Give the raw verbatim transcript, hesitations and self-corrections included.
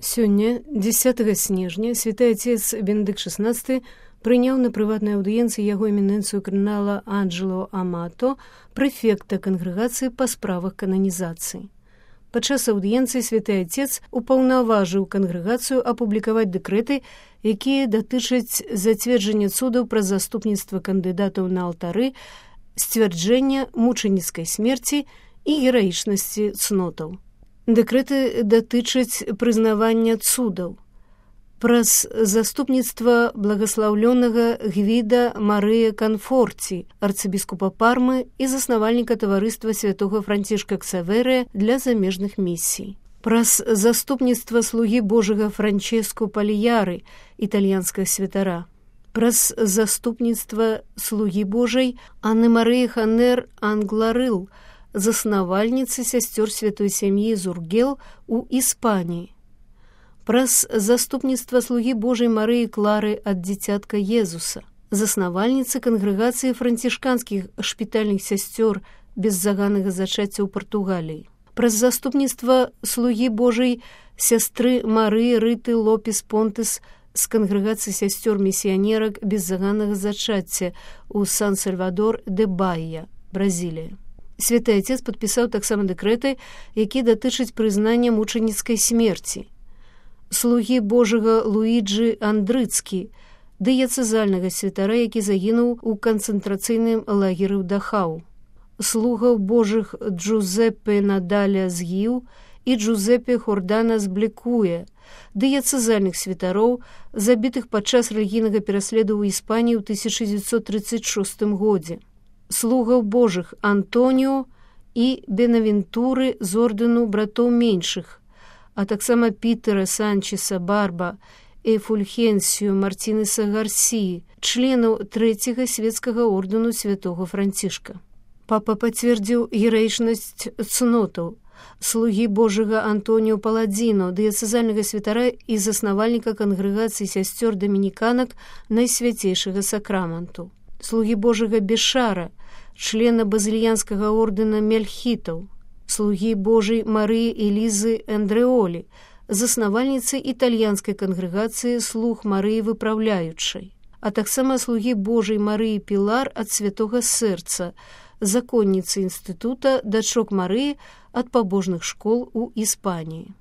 Сёння, дзесятага снежня, святы отец Бенедыкт шестнадцаты прыняў на прыватнай аўдыенцыі яго эмінэнцыю кардынала Анджело Амато, прэфекта кангрэгацыі па справах кананізацыі. Падчас аўдыенцыі святы отец упаўнаважыў кангрэгацыю апублікаваць дэкрэты, якія датычаць зацверджання цудаў пра заступніцтва кандыдатаў на алтары, сцвярджэння мучаніцкай смерці і гераічнасці цнотаў. Дэкрэты датычаць прызнавання цудаў. Праз заступніцтва благаслаўлёнага Гвіда Марыя Канфорці, арцыбіскупа Пармы і заснавальніка таварыства святога Францішка Ксаверыя для замежных місій. Праз заступніцтва слугі Божага Франческу Паліяры, італьянскага святара. Праз заступніцтва слугі Божай Анны Марыі Ханер Англарыл, заснавальніцы сясцёр святой сям'і Зургел у Іспаніі. Праз заступніцтва слугі Божай Марыі Клары ад дзіцятка Езуса, заснавальніцы кангрэгацыі францішканскіх шпітальных сясцёр беззаганнага зачацця ў Партугаліі. Праз заступніцтва слугі Божай сястры Марыі Рыты Лопес Понтес з кангрэгацыі сясцёр місіянерак беззаганнага зачацця ў Сан-Сальвадор де Баія, Бразілія. Святы отец падпісаў таксама дэкрэты, якія датычаць прызнання мучаніцкай смерці. Слугі Божага Луіджы Андрыцкі, дыяцэзальнага святара, які загінуў у канцэнтрацыйным лагеры ў Дахау. Слугаў Божых Джузеппе Надаля з Гіў і Джузеппе Хордана з Блекуе, дыяцэзальных святароў, забітых падчас рэлігійнага пераследу ў Іспаніі ў тысяча дзевяцьсот трыццаць шостым годзе. Слугаў Божых Антоніо і Бенавентуры з ордэну братоў меншых, а таксама Пітера Санчеса Барба і Фульхенсію Мартінеса Гарсіі, членаў трэцяга свецкага ордэну святого Францішка. Папа пацвердзіў гераічнасць цнотаў, слугі Божага Антоніо Паладзіно, дыяцэзальнага святара і заснавальніка кангрэгацыі сясцёр дамініканак Найсвяцейшага сакраменту. Слугі Божага Бешара, члена базільянскага ордэна Мельхітаў, слугі Божай Марыі Элізы Андрэолі, заснавальніцы італьянскай кангрэгацыі слуг Марыі Выпраўляючай, а таксама слугі Божай Марыі Пілар ад Святога Сэрца, законніцы інстытута дачок Марыі ад пабожных школ у Іспаніі.